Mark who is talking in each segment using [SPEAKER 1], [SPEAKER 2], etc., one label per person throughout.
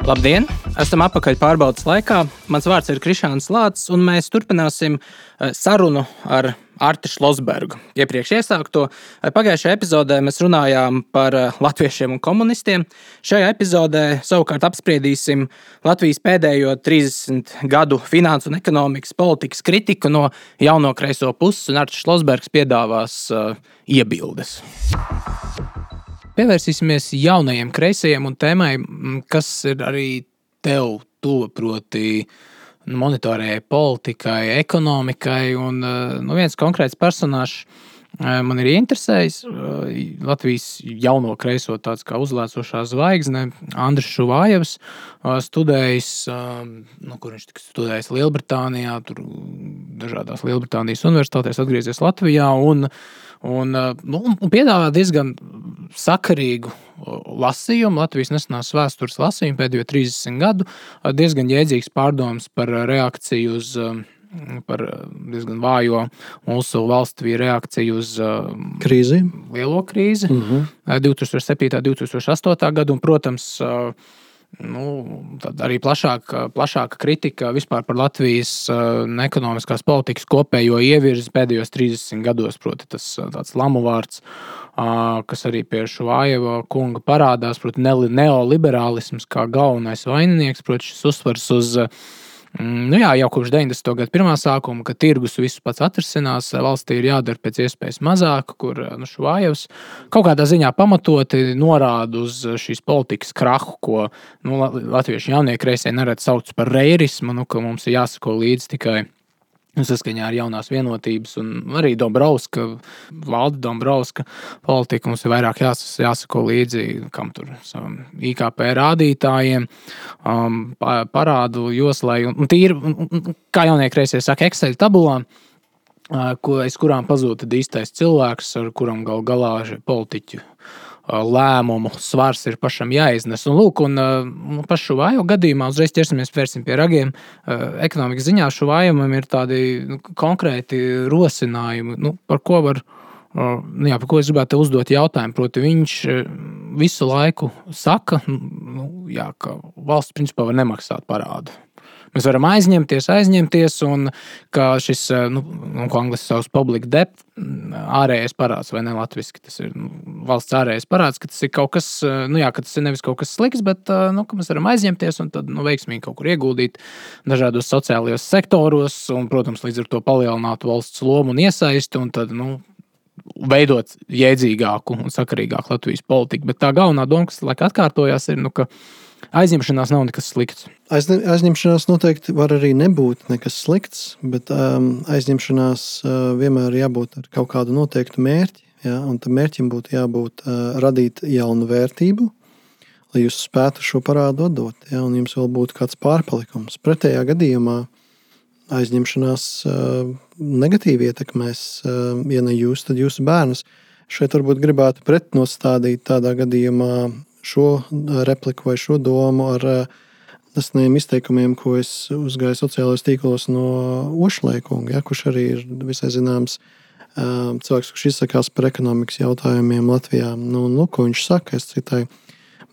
[SPEAKER 1] Labdien! Esam atpakaļ pārbaudas laikā. Mans vārds ir Krišāns Lācis, un mēs turpināsim sarunu ar Arti Šlosbergu. Iepriekš iesākto. Pagājušajā epizodē mēs runājām par latviešiem un komunistiem. Šajā epizodē savukārt apspriedīsim Latvijas pēdējo 30 gadu finansu un ekonomikas politikas kritiku no jauno kreiso puses, un Artis Šlosbergs piedāvās iebildes. Pievērsīsimies jaunajiem kreisajiem un tēmai, kas ir arī tev tuva, proti monetārajai politikai, ekonomikai. Un, viens konkrēts personāžs man ir ieinteresējis. Latvijas jauno kreiso tāds kā uzlēcošā zvaigzne, Andris Šuvājevs, studējis, kur viņš tika studējis Lielbritānijā, tur dažādās Lielbritānijas universitātēs, atgriezies Latvijā un piedāvā diezgan sakarīgu lasījumu, Latvijas nesenās vēstures lasījumu pēdējo 30 gadu, diezgan jēdzīgs pārdoms par reakciju uz, par diezgan vājo mūsu valstī reakciju uz
[SPEAKER 2] krīzi,
[SPEAKER 1] lielo krīzi, 2007. 2008. gadu, un, protams, tad arī plašāka kritika vispār par Latvijas ekonomiskās politikas kopējo ievirzi pēdējos 30 gados, proti tas tāds lamu vārds, kas arī pie Šuvājeva kunga parādās, proti neoliberālisms kā galvenais vaininieks, proti šis uzsvars uz jau kopš 90. gada pirmā sākuma, ka tirgus visu pats atrisinās, valstī ir jādara pēc iespējas mazāk, kur Šuvājevs kaut kādā ziņā pamatoti norāda uz šīs politikas krahu, ko latviešu jaunie kreisie neredz sauc par reirismu, ka mums ir jāsako līdzi tikai saskaņā ar jaunās vienotības un arī valda Dombrovska politika. Mums ir vairāk jāsako līdzi, kam tur savam IKP rādītājiem, parādu joslai un tīri, kā jaunie kreisie saka, Excel tabulām, aiz kurām pazūd īstais cilvēks, ar kuram galā politiķu lēmumu svars ir pašam jāiznes. Un pašu Šuvājevu gadījumā uzreiz vērsim pie ragiem. Ekonomikas ziņā Šuvājevim ir tādi konkrēti rosinājumi, par ko es gribētu uzdot jautājumu. Proti, viņš visu laiku saka, ka valsts principā var nemaksāt parādu. Mēs varam aizņemties, un ka šis, ko angliski sauc public debt, ārējais parāds, vai ne latviski, tas ir valsts ārējais parāds, ka tas ir kaut kas, ka tas ir nevis kaut kas slikts, bet, ka mēs varam aizņemties un tad, veiksmīgi kaut kur ieguldīt dažādos sociālajos sektoros, un, protams, līdz ar to palielināt valsts lomu un iesaisti, un tad, veidot jēdzīgāku un sakarīgāku Latvijas politiku. Bet tā galvenā doma, kas laika atkārtojās, ir, ka aizņemšanās nav nekas slikts.
[SPEAKER 2] Aizņemšanās noteikti var arī nebūt nekas slikts, bet aizņemšanās vienmēr jābūt ar kaut kādu noteiktu mērķi, un tam mērķim būtu jābūt radīt jaunu vērtību, lai jūs spētu šo parādu atdot, un jums vēl būtu kāds pārpalikums. Pretējā gadījumā aizņemšanās negatīvi ietekmēs, ja ne jūs, tad jūsu bērnus. Šeit varbūt gribētu pretnostādīt tādā gadījumā šo repliku vai šo domu ar nesenajiem izteikumiem, ko es uzgāju sociālajos tīklos no Ošlaikunga, kurš arī ir visai zināms cilvēks, kurš izsakās par ekonomikas jautājumiem Latvijā. Ko viņš saka, es citāju,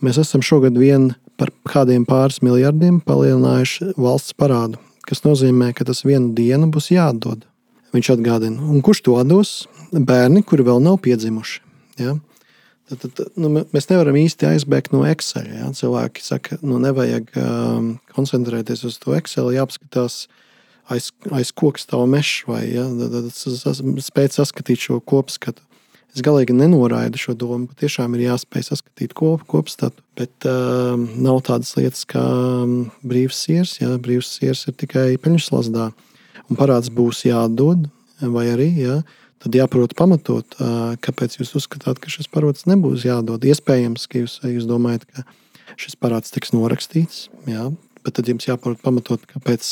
[SPEAKER 2] mēs esam šogad vien par kādiem pāris miljardiem palielinājuši valsts parādu, kas nozīmē, ka tas vienu dienu būs jāatdod. Viņš atgādina. Un kurš to atdos? Bērni, kuri vēl nav piedzimuši. Ja? Tad, mēs nevaram īsti aizbēgt no Excel. Ja? Cilvēki saka, nevajag koncentrēties uz to Excel, jāapskatās aiz koka stāv mežs vai spēt saskatīt šo kopskatu. Es galīgi nenoraidu šo domu, patiešām ir jāspēj saskatīt kopstatu, bet nav tādas lietas kā brīvs siers. Ja? Brīvs siers ir tikai peļņas slazdā, un parāds būs jāatdod, vai arī, tad jāprot pamatot, kāpēc jūs uzskatāt, ka šis parāds nebūs jādod. Iespējams, ka jūs domājat, ka šis parāds tiks norakstīts, bet tad jums jāprot pamatot, kāpēc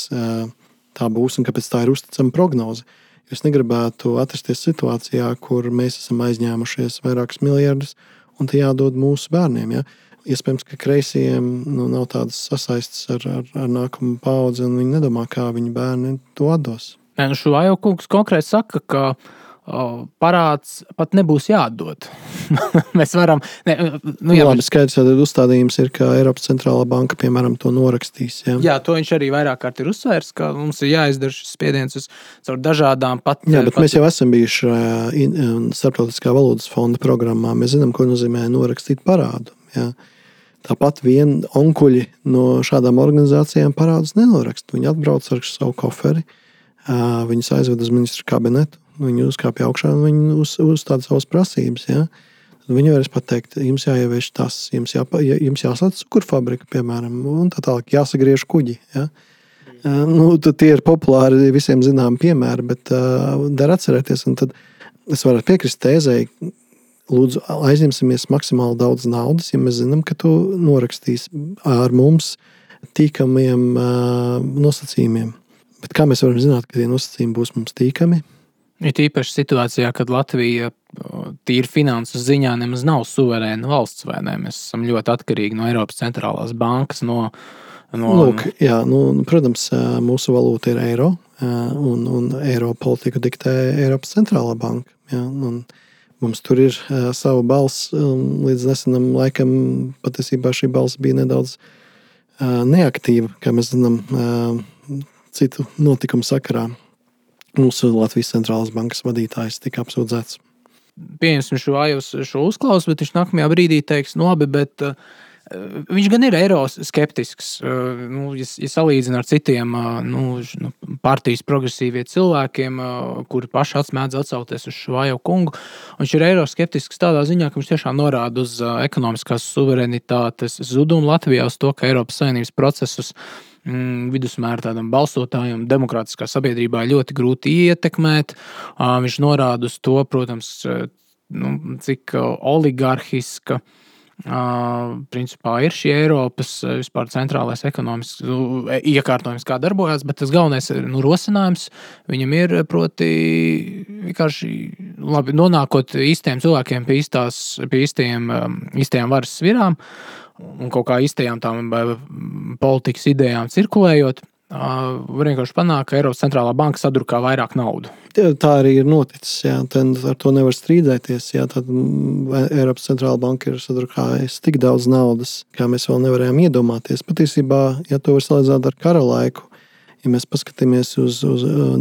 [SPEAKER 2] tā būs un kāpēc tā ir uzticama prognoze. Jūs negribētu atrasties situācijā, kur mēs esam aizņēmušies vairākus miljardus un tie jādod mūsu bērniem. Ja? Iespējams, ka kreisiem nav tādas sasaistes ar nākamu paudzi un viņi nedomā, kā viņu bērni to atdos.
[SPEAKER 1] Šuvājeva kungs konkrēti saka, ka parāds pat nebūs jāatdod. Mēs varam...
[SPEAKER 2] Labi, skaidrs, tad uzstādījums ir, ka Eiropas centrālā banka, piemēram, to norakstīs.
[SPEAKER 1] Jā, to viņš arī vairāk kārt ir uzsvērs, ka mums ir jāizdara šis spiediens caur dažādām pat...
[SPEAKER 2] Jā, bet mēs jau esam bijuši Starptautiskā valūtas fonda programmā. Mēs zinām, ko nozīmē norakstīt parādu. Jā. Tāpat vien onkuļi no šādām organizācijām parādus nenorakst. Viņi atbrauc ar savu koferi, viņus aizved uz ministru kabinetu, viņi uzkāpja augšā un viņi uzstāda savas prasības. Ja? Viņi varēs pateikt, jums jāievieš tas, jums jāslēdz cukurfabrika, piemēram, un tā tālāk jāsagriež kuģi. Ja? Tie ir populāri visiem zinām piemēri, bet dar atcerēties. Un tad es varu piekrist tēzei, lūdzu, aizņemsimies maksimāli daudz naudas, ja mēs zinām, ka tu norakstīs ar mums tīkamiem nosacījumiem. Bet kā mēs varam zināt, ka tie nosacījumi būs mums tīkami?
[SPEAKER 1] Ir īpaši situācijā, kad Latvija tīri finansu ziņā nemaz nav suverēna valsts, vai ne? Mēs esam ļoti atkarīgi no Eiropas centrālās bankas.
[SPEAKER 2] Lūk, jā, protams, mūsu valūta ir eiro, un eiro politiku diktē Eiropas centrālā banka. Jā, un mums tur ir sava balss, līdz nesenam laikam patiesībā šī balss bija nedaudz neaktīva, kā mēs zinām, citu notikumu sakarā. Mūsu Latvijas centrālās bankas vadītājs tika apsūdzēts.
[SPEAKER 1] Pieņemsim šo uzklausu, bet viņš nākamajā brīdī teiks, labi, bet viņš gan ir eiro skeptisks. Ja salīdzina ar citiem partijas progresīvie cilvēkiem, kuri paši mēdz atsaukties uz Švajo kungu, viņš ir eiro skeptisks tādā ziņā, ka viņš tiešām norāda uz ekonomiskās suverenitātes zudumu Latvijā, uz to, ka Eiropas Savienības procesus vidusmēra tādam balsotājam demokrātiskā sabiedrībā ļoti grūti ietekmēt. Viņš norāda uz to, protams, cik oligarhiska principā ir šī Eiropas vispār centrālais ekonomisks iekārtojums, kā darbojās, bet tas galvenais rosinājums viņam ir, proti, vienkārši labi nonākot īstiem cilvēkiem pie īstajām varas svirām, un kaut kā īstajām tām politikas idejām cirkulējot, var vienkārši panākt, ka Eiropas centrālā banka sadrukā vairāk naudu.
[SPEAKER 2] Tā arī ir noticis. Jā. Ar to nevar strīdēties. Jā. Tad Eiropas centrālā banka ir sadrukājusi tik daudz naudas, kā mēs vēl nevarējām iedomāties. Patiesībā, ja to var salīdzināt ar kara laiku, ja mēs paskatāmies uz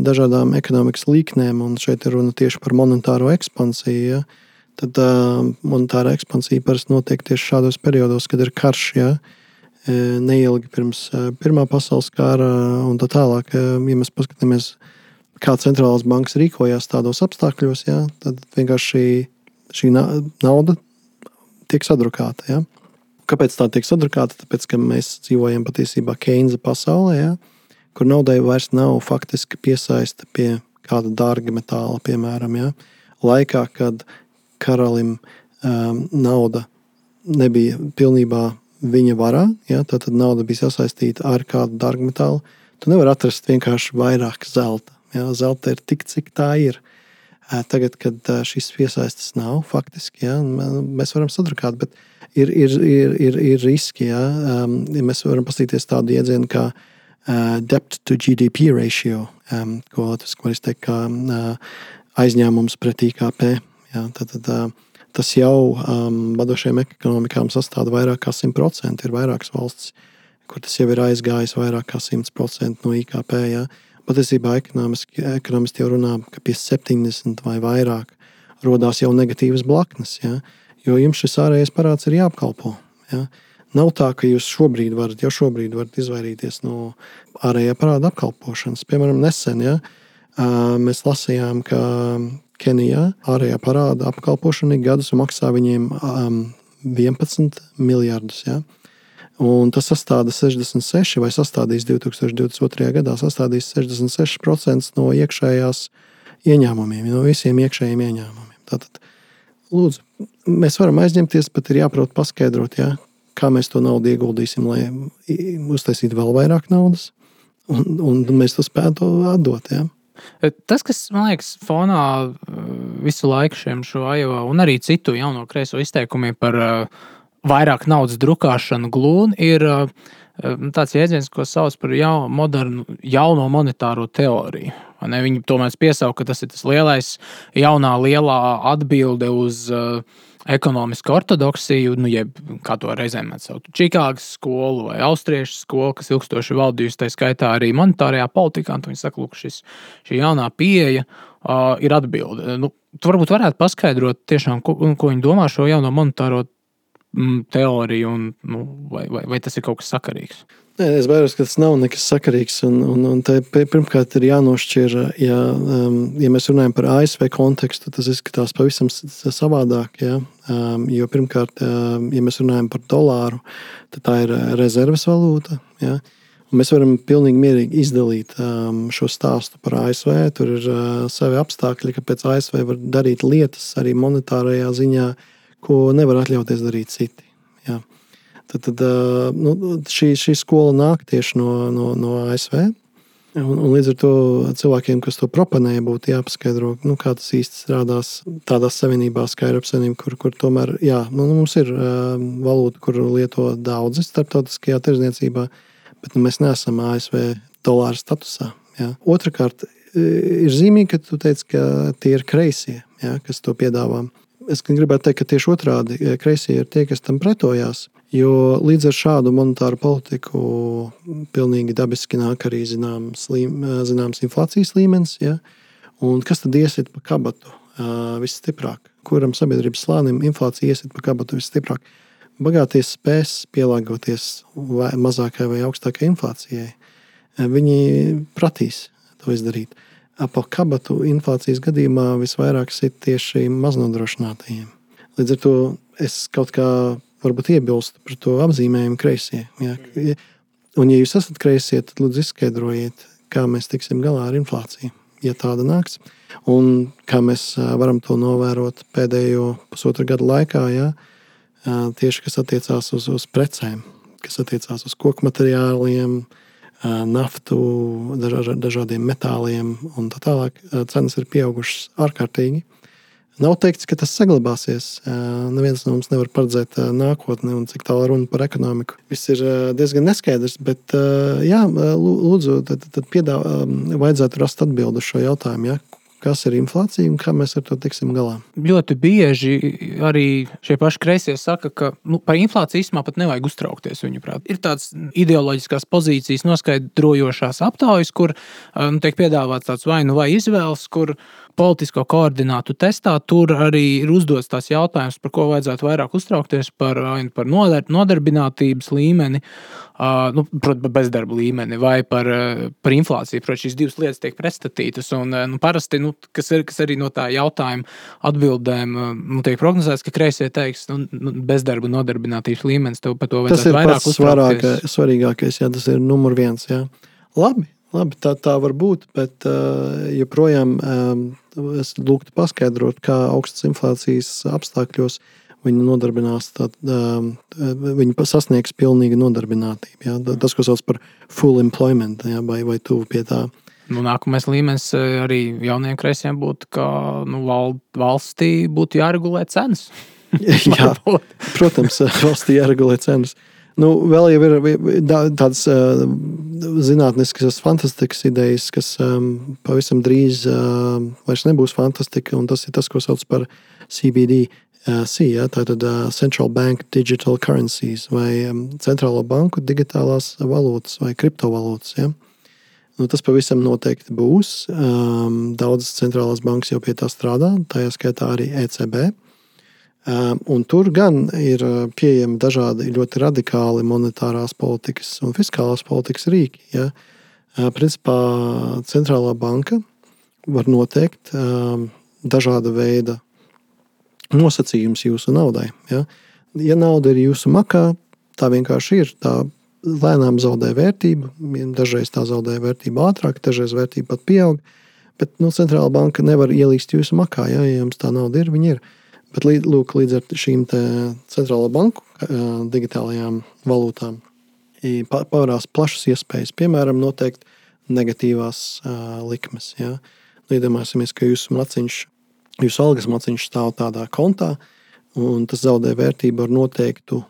[SPEAKER 2] dažādām ekonomikas līknēm, un šeit ir runa tieši par monetāro ekspansiju, ja, tad monetārā ekspansija parasti notiek tieši šādos periodos, kad ir karš, ja, neilgi pirms Pirmā pasaules kara un tā tālāk. Ja mēs paskatāmies, kā centrālās bankas rīkojās tādos apstākļos, ja, tad vienkārši šī nauda tiek sadrukāta. Ja. Kāpēc tā tiek sadrukāta? Tāpēc, ka mēs dzīvojam patiesībā Keinza pasaulē, ja, kur naudai vairs nav faktiski piesaista pie kāda dārga metāla, piemēram. Ja. Laikā, kad karalim nauda nebija pilnībā viņa varā, ja, tad nauda bija sasaistīta ar kādu dārgmetālu. Tu nevar atrast vienkārši vairāk zelta. Ja. Zelta ir tik, cik tā ir. Tagad, kad šis piesaistes nav faktiski, ja, mēs varam sadrukāt, bet ir riski. Ja. Mēs varam paskatīties tādu iedzienu kā debt to GDP ratio, ko var teikt kā aizņēmums pret IKP. Jā, tad tas jau vadošajām ekonomikām sastāda vairāk kā 100%. Ir vairākas valstis, kur tas jau ir aizgājis vairāk kā 100% no IKP. Jā. Patiesībā ekonomisti jau runā, ka pie 70 vai vairāk rodās jau negatīvas blaknes, jā, jo jums šis ārējais parāds ir jāapkalpo. Jā. Nav tā, ka jūs šobrīd varat izvairīties no ārējā parāda apkalpošanas. Piemēram, nesen, jā, mēs lasījām, ka Kenijā ārējā parāda apkalpošana gadus maksā viņiem 11 miljardus. Ja? Un tas sastāda 66, vai sastādīs 2022. Gadā, sastādīs 66% no iekšējās ieņēmumiem, no visiem iekšējiem ieņēmumiem. Tātad, lūdzu, mēs varam aizņemties, bet ir jāprot paskaidrot, ja? Kā mēs to naudu ieguldīsim, lai uztaisītu vēl vairāk naudas, un mēs to spētu atdot. Ja?
[SPEAKER 1] Tas, kas, man liekas, fonā visu laiku šiem Švajeva un arī citu jauno kreiso izteikumiem par vairāk naudas drukāšanu glūni, ir tāds jēdziens, ko sauc par jauno monetāro teoriju. Viņi tomēr piesauka, ka tas ir tas lielā atbilde uz ekonomisku ortodoksiju, jeb kā to reizēm mēs saucam, Čikāgas skolu vai austriešu skolu, kas ilgstoši valdījusi, tā skaitā arī monetārajā politikā. Viņi saka, ka šī jaunā pieeja ir atbilde. Tu varbūt varētu paskaidrot tiešām, ko viņi domā šo jauno monetāro teoriju, un vai tas ir kaut kas sakarīgs?
[SPEAKER 2] Nē, es baidos, ka tas nav nekas sakarīgs. Un pirmkārt, ir jānošķir, ja mēs runājam par ASV kontekstu, tas izskatās pavisam savādāk. Ja? Jo pirmkārt, ja mēs runājam par dolāru, tad tā ir rezerves valūta. Ja? Un mēs varam pilnīgi mierīgi izdalīt šo stāstu par ASV. Tur ir savi apstākļi, kāpēc ASV var darīt lietas arī monetārajā ziņā, ko nevar atļauties darīt citi. Ja? Tad šī skola nāk tieši no ASV. Un līdz ar to cilvēkiem, kas to proponē, būtu jāpaskaidro, kā tas īsti strādās tādās savienībās, kā Eiropas Savienība, kur tomēr mums ir valūta, kuru lieto daudzi starptautiskajā tirdzniecībā, bet mēs neesam ASV dolāra statusā. Ja. Otrakārt, ir zīmīgi, ka tu teici, ka tie ir kreisie, kas to piedāvā. Es gribētu teikt, ka tieši otrādi kreisie ir tie, kas tam pretojās. Jo līdz ar šādu monetāru politiku pilnīgi dabiski nāk arī zināms inflācijas līmenis. Ja? Un kas tad iesit pa kabatu visstiprāk? Kuram sabiedrības slānim inflācija iesit pa kabatu visstiprāk? Bagātie spēs pielāgoties mazākai vai augstākai inflācijai. Viņi prasīs to izdarīt. Pa kabatu inflācijas gadījumā visvairāk sit tieši maznodrošinātajiem. Līdz ar to es kaut kā varbūt iebilstu par to apzīmējumu kreisie. Ja? Un ja jūs esat kreisie, tad lūdzu izskaidrojiet, kā mēs tiksim galā ar inflāciju, ja tāda nāks. Un kā mēs varam to novērot pēdējo pusotru gadu laikā, tieši kas attiecās uz precēm, kas attiecās uz koku materiāliem, naftu, dažādiem metāliem un tā tālāk. Cenas ir pieaugušas ārkārtīgi. Nav teikts, ka tas saglabāsies. Neviens no mums nevar paredzēt nākotni un cik tālu runa par ekonomiku. Viss ir diezgan neskaidrs, bet lūdzu, tad vajadzētu rast atbildi uz šo jautājumu. Ja? Kas ir inflācija un kā mēs ar to tiksim galā?
[SPEAKER 1] Ļoti bieži arī šie paši kreisie saka, ka par inflāciju īstenībā pat nevajag uztraukties, viņuprāt. Ir tāds ideoloģiskās pozīcijas noskaidrojošās aptaujas, kur tiek piedāvāts tāds vai izvēles, kur politisko koordinātu testā tur arī ir uzdots tās jautājums, par ko vajadzētu vairāk uztraukties, par nodarbinātības līmeni, bezdarba līmeni vai par inflāciju. Protams, šīs divas lietas tiek pretstatītas un parasti, kas arī no tā jautājuma atbildēm tiek prognozēts, ka kreisie teiks, bezdarba un nodarbinātības līmenis, tev par to vajadzētu vairāk uztraukties.
[SPEAKER 2] Tas ir svarīgākais, tas ir numur 1. Ja. Labi, tā var būt, bet joprojām es lūgtu paskaidrot, kā augstas inflācijas apstākļos viņi nodarbinās, viņi sasniegs pilnīgu nodarbinātību. Ja? Tas, ko sauc par full employment, ja? vai tuvu pie tā.
[SPEAKER 1] Nākamais līmenis arī jauniem kreisiem būtu, ka valstī būtu jāregulē cenas.
[SPEAKER 2] Jā, protams, valstī jāregulē cenas. Vēl jau ir tādas zinātniskas fantastikas idejas, kas pavisam drīz vairs nebūs fantastika, un tas ir tas, ko sauc par CBDC, tātad Central Bank Digital Currencies, vai centrālo banku digitālās valūtas vai kriptovalūtas. Ja? Tas pavisam noteikti būs. Daudzas centrālās bankas jau pie tā strādā, tajā skaitā arī ECB. Un tur gan ir pieejami dažādi ļoti radikāli monetārās politikas un fiskālās politikas rīki. Ja? Principā centrālā banka var noteikt dažāda veida nosacījumus jūsu naudai. Ja? Ja nauda ir jūsu makā, tā vienkārši ir. Tā lēnām zaudē vērtību. Dažreiz tā zaudē vērtību ātrāk, dažreiz vērtība pat pieaug. Bet centrālā banka nevar ielīst jūsu makā. Ja jums tā nauda ir, viņa ir. Bet līdz ar šīm centrālo banku digitālajām valūtām pavērās plašas iespējas, piemēram, noteikt negatīvās likmes. Ja? Iedomāsimies, ka jūsu algas maciņš stāv tādā kontā, un tas zaudē vērtību ar noteiktu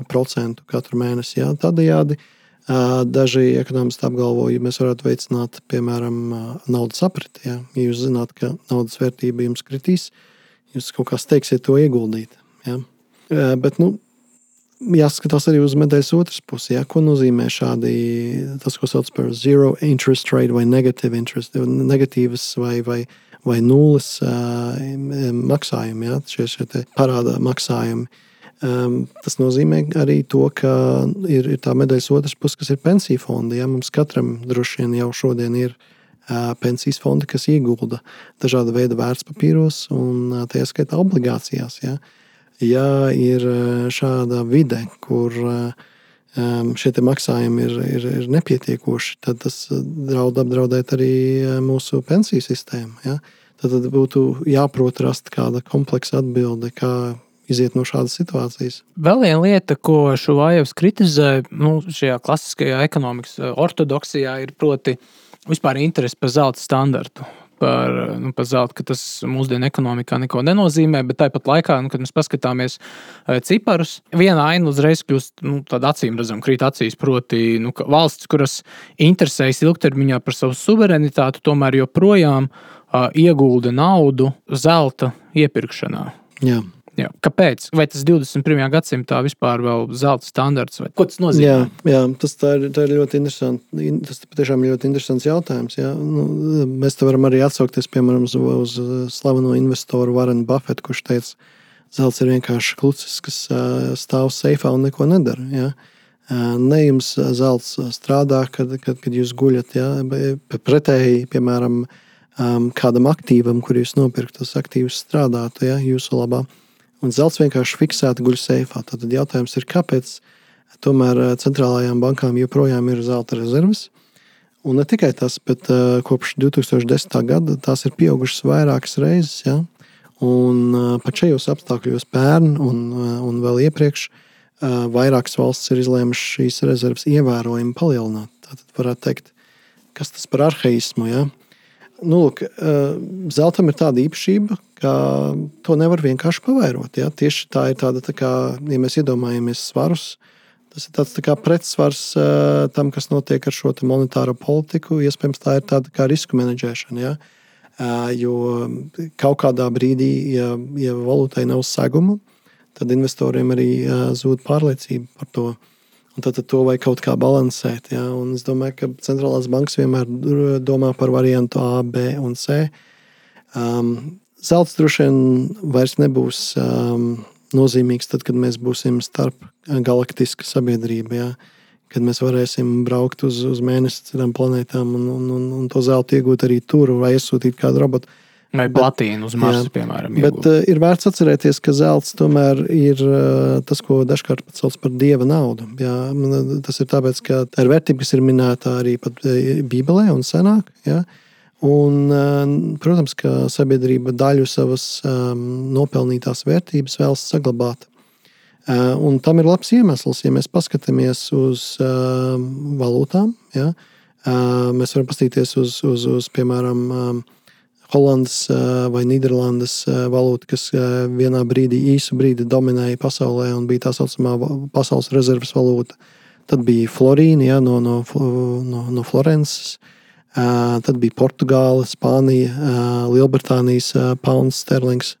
[SPEAKER 2] procentu katru mēnesi. Jā. Tādējādi daži ekonomisti apgalvo, ja mēs varētu veicināt, piemēram, naudas apriti. Ja jūs zināt, ka naudas vērtība jums kritīs, jūs kaut kā steigsiet to ieguldīt. Ja. Bet, jāskatās arī uz medaļas otras pusi. Ja. Ko nozīmē šādi, tas, ko sauc par zero interest rate vai negative interest, negatīvas vai nulles maksājumi, ja. Šie parāda maksājumi. Tas nozīmē arī to, ka ir tā medaļas otras puses, kas ir pensiju fondi. Ja? Mums katram droši vien jau šodien ir pensijas fondi, kas iegulda dažāda veida vērtspapīros un tajā skaitā obligācijās. Ja ir šāda vide, kur šie maksājumi ir nepietiekoši, tad tas draud apdraudēt arī mūsu pensiju sistēmu. Ja? Tad būtu jāprot rast kāda kompleksa atbilde, kā iziet no šādas situācijas.
[SPEAKER 1] Vēl viena lieta, ko Šuvājevs kritizē, šajā klasiskajā ekonomikas ortodoksijā, ir proti vispār interesi par zelta standartu. Par zeltu, ka tas mūsdienu ekonomikā neko nenozīmē, bet tāpat laikā, kad mēs paskatāmies ciparus, viena aina uzreiz kļūst tāda acīm redzama, krīt acīs, proti ka valsts, kuras interesējas ilgtermiņā par savu suverenitāti, tomēr joprojām iegulda naudu zelta iepirkšanā.
[SPEAKER 2] Jā.
[SPEAKER 1] Jā. Kāpēc? Vai tas 21. gadsimtā vispār vēl zelta standarts? Vai? Ko tas nozīmē?
[SPEAKER 2] Jā, tā ir ļoti interesanti. Tas patiešām ir ļoti interesants jautājums. Jā. Mēs te varam arī atsaukties, piemēram, uz slaveno investoru Warrenu Buffettu, kurš teica, zelts ir vienkārši klucis, kas stāv seifā un neko nedara. Jā. Ne jums zelts strādā, kad jūs guļat. Jā. Pretēji, piemēram, kādam aktīvam, kur jūs nopirkt, tas aktīvs strādātu, jā, jūsu labā. Un zelts vienkārši fiksēti guļ seifā. Tad jautājums ir, kāpēc tomēr centrālajām bankām joprojām ir zelta rezerves. Un ne tikai tas, bet kopš 2010. gada tās ir pieaugušas vairākas reizes. Ja? Un pat šajos apstākļos pērn un vēl iepriekš vairākas valstis ir izlēmušas šīs rezerves ievērojami palielināt. Tātad varētu teikt, kas tas par arheismu, ja? Zeltam ir tāda īpašība, ka to nevar vienkārši pavairot. Ja? Tieši tā ir tāda, kā, ja mēs iedomājamies svarus, tas ir tāds tā kā pretsvars tam, kas notiek ar šo monetāro politiku. Iespējams, tā ir tāda kā risku menedžēšana. Ja? Jo kaut kādā brīdī, ja valūtai nav seguma, tad investoriem arī zūd pārliecība par to. Un tad to vajag kaut kā balansēt. Ja? Un es domāju, ka centrālās bankas vienmēr domā par variantu A, B un C. Zelts droši vien vairs nebūs nozīmīgs tad, kad mēs būsim starp galaktiska sabiedrība. Ja? Kad mēs varēsim braukt uz mēnesi citām planētām un to zeltu iegūt arī tur vai iesūtīt kādu robotu.
[SPEAKER 1] Vai platīnu uz Marsa, piemēram.
[SPEAKER 2] Bet ir vērts atcerēties, ka zelts tomēr ir tas, ko dažkārt pat sauc par dieva naudu. Jā, tas ir tāpēc, ka tā ir vērtība, kas ir minēta arī pat Bībelē un senāk. Jā. Un, protams, ka sabiedrība daļu savas nopelnītās vērtības vēlas saglabāt. Un tam ir labs iemesls, ja mēs paskatāmies uz valūtām. Jā. Mēs varam paskatīties uz piemēram, Holandas vai Nīderlandes valūta, kas vienā brīdī, īsu brīdi dominēja pasaulē un bija tā saucamā pasaules rezerves valūta. Tad bija florīna, ja, no Florences. Tad bija Portugāla, Spānija, Lielbritānijas pounds sterlings.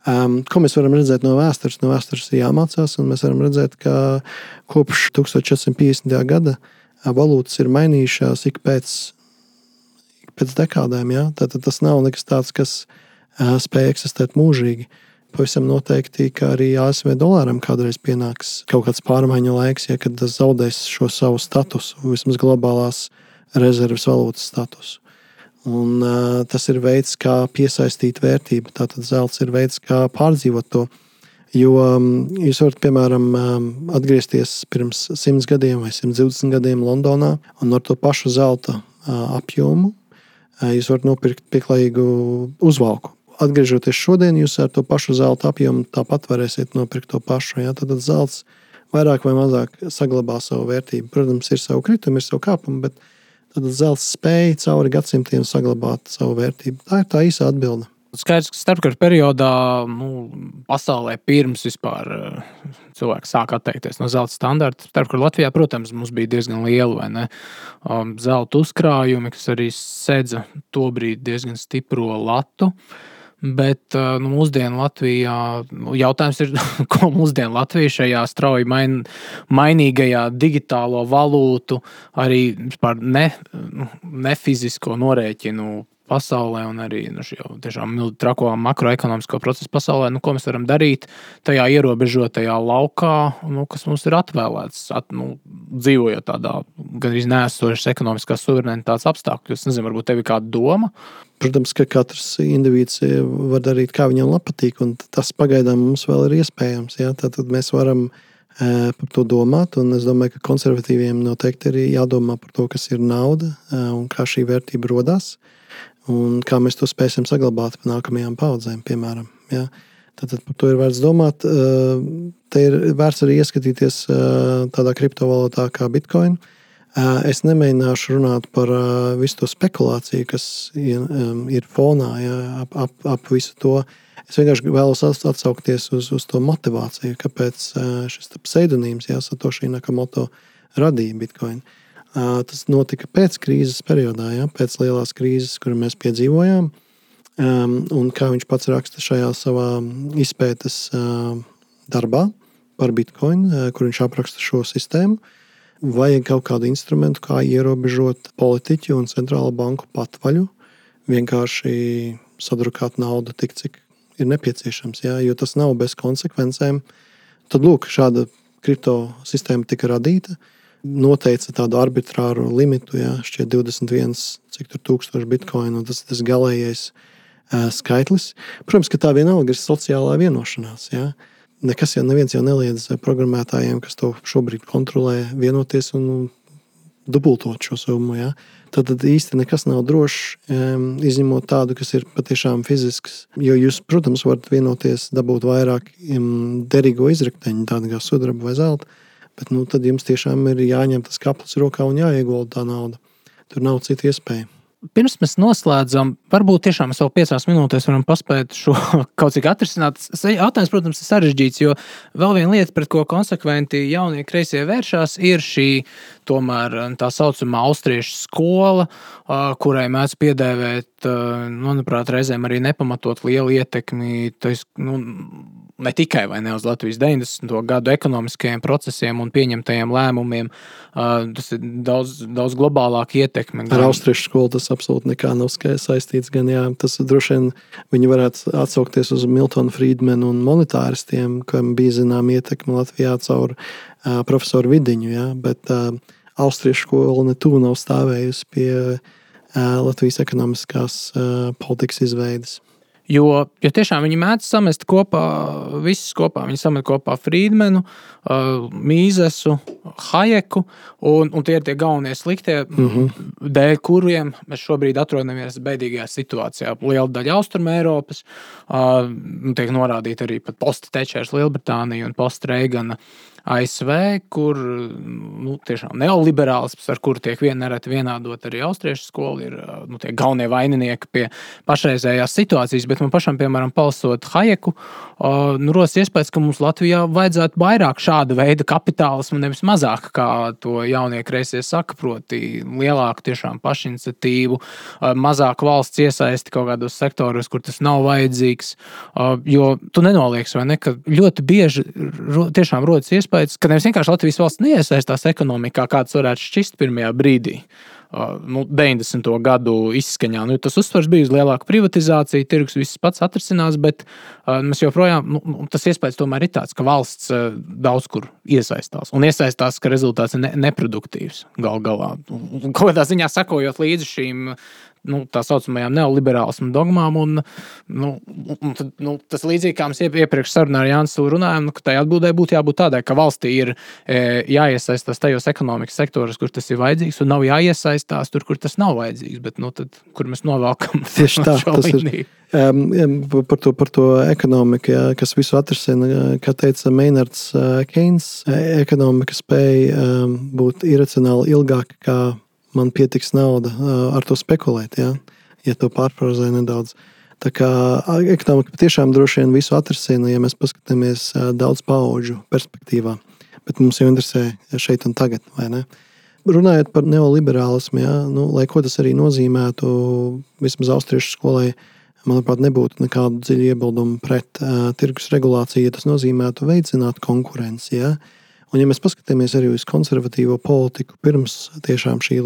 [SPEAKER 2] Ko mēs varam redzēt no vēstures? No vēstures ir jāmācās, un mēs varam redzēt, ka kopš 1450. gada valūtas ir mainījušās ik pēc dekādēm. Ja? Tātad tas nav nekas tāds, kas spēj eksistēt mūžīgi. Pavisam noteikti, ka arī ASV dolāram kādreiz pienāks kaut kāds pārmaiņu laiks, ja, kad tas zaudēs šo savu statusu, vismaz globālās rezerves valūtas statusu. Un tas ir veids, kā piesaistīt vērtību. Tātad zelts ir veids, kā pārdzīvot to. Jo jūs varat, piemēram, atgriezties pirms 100 gadiem vai 120 gadiem Londonā un ar to pašu zelta apjomu jūs varat nopirkt pieklājīgu uzvalku. Atgriežoties šodien, jūs ar to pašu zelta apjomu tāpat varēsiet nopirkt to pašu. Ja? Tad zelts vairāk vai mazāk saglabā savu vērtību. Protams, ir savu kritumu, ir savu kāpumu, bet tad zelts spēja cauri gadsimtiem saglabāt savu vērtību. Tā ir tā īsa atbilde.
[SPEAKER 1] Skaidrs, ka starpkara periodā pasaulē pirms vispār cilvēki sāk atteikties no zelta standarta. Starpkara Latvijā, protams, mums bija diezgan liela, vai ne, zelta uzkrājumi, kas arī sedza tobrīd diezgan stipro latu. Bet mūsdienu Latvijā jautājums ir, ko mūsdienu Latvija šajā strauji mainīgajā digitālo valūtu, arī vispār nefizisko norēķinu pasaulē un arī šo tiešām trako makroekonomisko procesu pasaulē, ko mēs varam darīt tajā ierobežotajā laukā, kas mums ir atvēlēts, dzīvojot tādā gandrīz neesošas ekonomiskās suverenitātes apstākļos. Es nezinu, varbūt tev ir kāda doma?
[SPEAKER 2] Protams, ka katrs indivīds var darīt, kā viņam patīk, un tas pagaidām mums vēl ir iespējams. Ja? Tātad mēs varam par to domāt, un es domāju, ka konservatīviem noteikti ir jādomā par to, kas ir nauda un kā šī vērtība rodās. Un kā mēs to spēsim saglabāt nākamajām paudzēm, piemēram. Ja? Tad par to ir vērts domāt. Te ir vērts arī ieskatīties tādā kriptovalūtā kā Bitcoin. Es nemēģināšu runāt par visu to spekulāciju, kas ir fonā, ja, ap visu to. Es vienkārši vēlos atsaukties uz to motivāciju, kāpēc šis pseidonīms, Satoshi Nakamoto, radīja Bitcoin. Tas notika pēc krīzes periodā, pēc lielās krīzes, kuru mēs piedzīvojām. Un kā viņš pats raksta šajā savā izpētes darbā par Bitcoin, kur viņš apraksta šo sistēmu, vajag kaut kādu instrumentu, kā ierobežot politiķu un centrālo banku patvaļu, vienkārši sadrukāt naudu tik, cik ir nepieciešams, jo tas nav bez konsekvencēm. Tad, lūk, šāda kripto sistēma tika radīta, noteica tādu arbitrāru limitu, šķiet 21 tūkstoši bitkoinu, un tas ir tas galējais skaitlis. Protams, ka tā vienalga ir sociālā vienošanās. Nekas neviens jau neliedz programmētājiem, kas to šobrīd kontrolē, vienoties un dubultot šo summu. Tad īsti nekas nav drošs, izņemot tādu, kas ir patiešām fizisks. Jo jūs, protams, varat vienoties, dabūt vairāk derīgo izrakteņu, tādu kā sudraba vai zelta, bet tad jums tiešām ir jāņem tas kaplis rokā un jāiegulda tā nauda. Tur nav cita iespēja.
[SPEAKER 1] Pirms mēs noslēdzam, varbūt tiešām mēs vēl 5 minūtēs varam paspēt šo kaut cik atrisināt. Jautājums, protams, ir sarežģīts, jo vēl viena lieta, pret ko konsekventi jaunie kreisie vēršās, ir šī tomēr tā saucamā austriešu skola, kurai mēdz piedēvēt, manuprāt, reizēm arī nepamatot lielu ietekmi, ne tikai vai ne uz Latvijas 90. gadu ekonomiskajiem procesiem un pieņemtajiem lēmumiem. Tas ir daudz globālāka ietekme.
[SPEAKER 2] Ar austriešu skolu tas absolūti nekā nav saistīts. Gan, tas droši vien viņi varētu atsaukties uz Miltonu Friedmanu un monetāristiem, kam bija zinām ietekme Latvijā caur profesoru Vidiņu. Bet austriešu skola netuvu nav stāvējusi pie Latvijas ekonomiskās politikas izveides.
[SPEAKER 1] Jo tiešām viņi mēdz samest kopā, visus kopā. Viņi samet kopā Friedmanu, Mīzesu, Hajeku, un tie ir tie galvenie sliktie, dēļ kuriem mēs šobrīd atrodamies beidīgajā situācijā. Liela daļa Austruma Eiropas, tiek norādīta arī pat post-Tečers Lielbritānija un post-Reigana ASV, kur tiešām neoliberālisms, ar kuru tiek nereti vienādot arī austriešu skolu, ir tie galvenie vaininieki pie pašreizējās situācijas, bet man pašam, piemēram, palasot Hajeku, rodas iespējas, ka mums Latvijā vajadzētu vairāk šāda veida kapitālismu, nevis mazāk, kā to jaunie kreisie saka, proti lielāku tiešām pašiniciatīvu, mazāk valsts iesaisti kaut kādos sektoros, kur tas nav vajadzīgs, jo tu nenolieks, vai ne, ka ļoti bieži tiešām rodas iespējas, ka nevis vienkārši Latvijas valsts neiesaistās ekonomikā, kāds varētu šķist pirmajā brīdī. 90. gadu izskaņā. Tas uzsvars bija uz lielāku privatizāciju, tirgus viss pats atrisinās, bet mēs joprojām, tas iespējas tomēr ir tāds, ka valsts daudz kur iesaistās. Un iesaistās, ka rezultāts ir neproduktīvs gal galā. Kaut kādā ziņā sakojot līdzi šīm tā saucamajām neoliberālismu dogmām, un tas līdzīgi, kā mēs iepriekš sarunā ar Jānis runājām, ka tai atbildē būtu jābūt tādai, ka valstī ir jāiesaistās tajos ekonomikas sektoros, kur tas ir vajadzīgs, un nav jāiesaistās tur, kur tas nav vajadzīgs, bet tad, kur mēs novelkam
[SPEAKER 2] tieši tā, tas līniju. Par to ekonomiku, kas visu atrisina, kā teica Maynards Keynes, ekonomika spēja būt iracionāli ilgāk, kā man pietiks nauda ar to spekulēt, ja to pārfrazē nedaudz. Tā kā ekonomika patiešām droši vien visu atrasina, ja mēs paskatāmies daudz paudžu perspektīvā. Bet mums jau interesē šeit un tagad, vai ne? Runājot par neoliberālismu, lai ko tas arī nozīmētu, vismaz austriešu skolai, manuprāt, nebūtu nekādu dziļu iebildumu pret tirgus regulāciju, ja tas nozīmētu veicināt konkurenci. Un ja mēs paskatāmies arī uz konservatīvo politiku pirms tiešām šī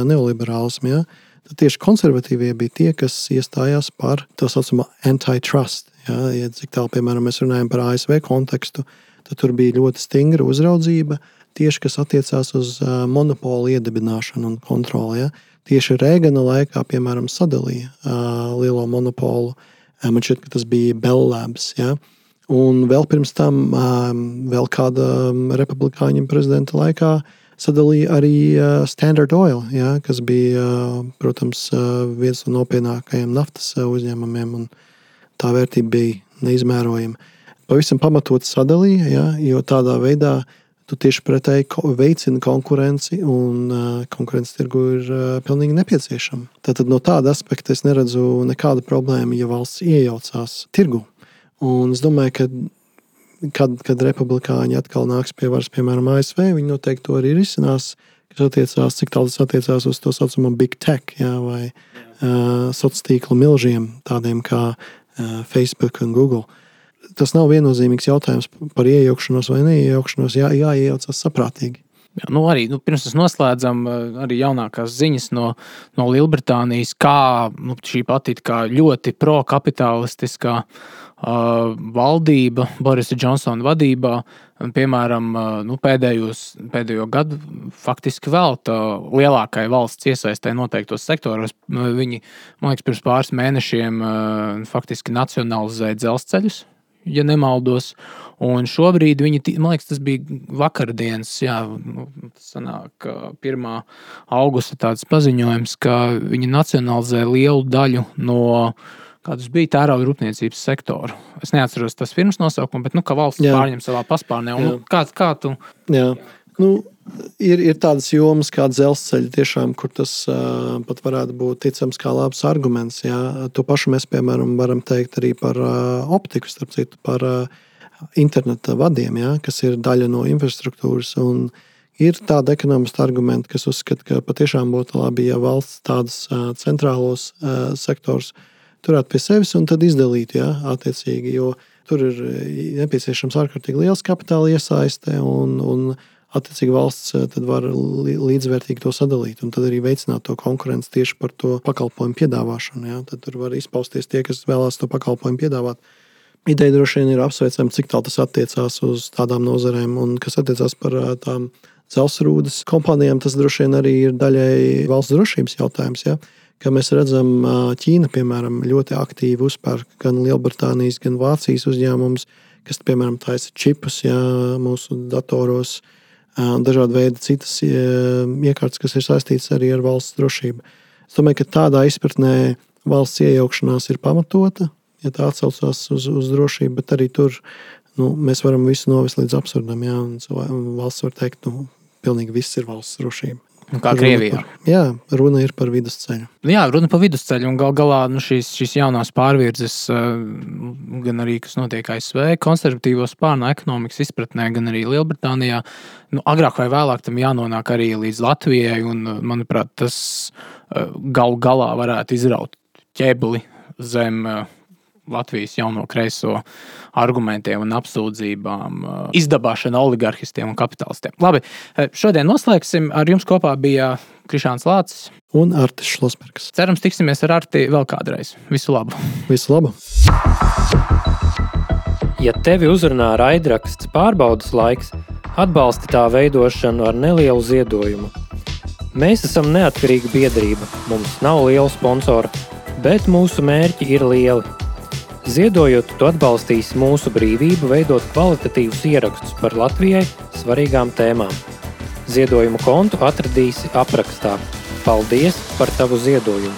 [SPEAKER 2] neoliberālisma, tad tieši konservatīvie bija tie, kas iestājās par tā saucamo antitrust. Ja cik tālu, piemēram, mēs runājam par ASV kontekstu, tad tur bija ļoti stingra uzraudzība, tieši kas attiecās uz monopolu iedibināšanu un kontroli. Tieši Reagana laikā, piemēram, sadalīja lielo monopolu. Man šķiet, ka tas bija Bell Labs. Un vēl pirms tam, vēl kāda republikāņu prezidenta laikā, sadalīja arī Standard Oil, kas bija, protams, viens no nopietnākajiem naftas uzņēmumiem, un tā vērtība bija neizmērojama. Pavisam pamatot sadalīja, jo tādā veidā tu tieši pretēji veicina konkurenci, un konkurences tirgu ir pilnīgi nepieciešama. Tātad no tāda aspekta es neredzu nekādu problēmu, ja valsts iejaucās tirgu. Un es domāju, ka kad republikāņi atkal nāks pie varas, piemēram, ASV, viņi noteikti to arī risinās, kas attiecās, cik tālu tas attiecās uz to saucamo big tech, vai sociālo tīklu milžiem, tādiem kā Facebook un Google. Tas nav viennozīmīgs jautājums par iejaukšanos vai neiejaukšanos, jāiejaucas saprātīgi.
[SPEAKER 1] Arī pirms mēs noslēdzam arī jaunākās ziņas no Lielbritānijas, kā šī pati kā ļoti pro-kapitalistiskā valdība Borisa Džonsona vadībā, piemēram, pēdējo gadu faktiski velta lielākai valsts iesaistē noteiktos sektoros. Viņi, man liekas, pirms pāris mēnešiem faktiski nacionalizēja dzelzceļus, ja nemaldos, un šobrīd viņi, man liekas, tas bija vakardienas, tas sanāk 1. augusta tāds paziņojums, ka viņi nacionalizē lielu daļu no kādas bija tērauda rūpniecības sektoru. Es neatceros tas firmas nosaukumu, bet ka valsts pārņem savā paspārnē. Un kā tu?
[SPEAKER 2] Jā. Ir tādas jomas kā dzelzceļi tiešām, kur tas pat varētu būt ticams kā labs arguments. To pašu mēs, piemēram, varam teikt arī par optiku, starp citu, par interneta vadiem, kas ir daļa no infrastruktūras. Un ir tāda ekonomista argumenta, kas uzskata, ka patiešām būtu labi, ja valsts tādus centrālos sektors turētu pie sevis un tad izdalītu, attiecīgi, jo tur ir nepieciešams ārkārtīgi liels kapitāla iesaiste un attiecīgi valsts tad var līdzvērtīgi to sadalīt un tad arī veicināt to konkurenci tieši par to pakalpojumu piedāvāšanu. Tad tur var izpausties tie, kas vēlās to pakalpojumu piedāvāt. Ideja droši vien ir apsveicama, cik tālu tas attiecās uz tādām nozarēm un kas attiecās par tām dzelzrūdas kompānijām, tas droši vien arī ir daļai valsts drošības jautājums, Kā mēs redzam, Ķīna, piemēram, ļoti aktīvi uzpērk gan Lielbritānijas, gan Vācijas uzņēmumus, kas, piemēram, taisa čipus mūsu datoros, dažādi veidi citas iekārtas, kas ir saistītas arī ar valsts drošību. Es domāju, ka tādā izpratnē valsts iejaukšanās ir pamatota, ja tā atsaucās uz drošību, bet arī tur mēs varam visu novest līdz absurdam. Un valsts var teikt, pilnīgi viss ir valsts drošība.
[SPEAKER 1] Kā Krievijā.
[SPEAKER 2] Runa ir par vidusceļu.
[SPEAKER 1] Runa par vidusceļu un galā šīs jaunās pārvirzes, gan arī, kas notiek ASV, konservatīvo spārnu ekonomikas izpratnē, gan arī Lielbritānijā. Agrāk vai vēlāk tam jānonāk arī līdz Latvijai, un, manuprāt, tas galā varētu izraut ķebli zem Latvijas jauno kreiso argumentiem un apsūdzībām, izdabāšana oligarhistiem un kapitalistiem. Labi, šodien noslēgsim. Ar jums kopā bija Krišāns Lācis
[SPEAKER 2] un Artis Šlosbergs.
[SPEAKER 1] Cerams, tiksimies ar Arti vēl kādreiz. Visu labu!
[SPEAKER 2] Visu labu!
[SPEAKER 3] Ja tevi uzrunā raidraksts Pārbaudas laiks, atbalsti tā veidošanu ar nelielu ziedojumu. Mēs esam neatkarīga biedrība, mums nav liela sponsora, bet mūsu mērķi ir lieli. Ziedojot, tu atbalstīsi mūsu brīvību veidot kvalitatīvus ierakstus par Latvijai svarīgām tēmām. Ziedojumu kontu atradīsi aprakstā. Paldies par tavu ziedojumu!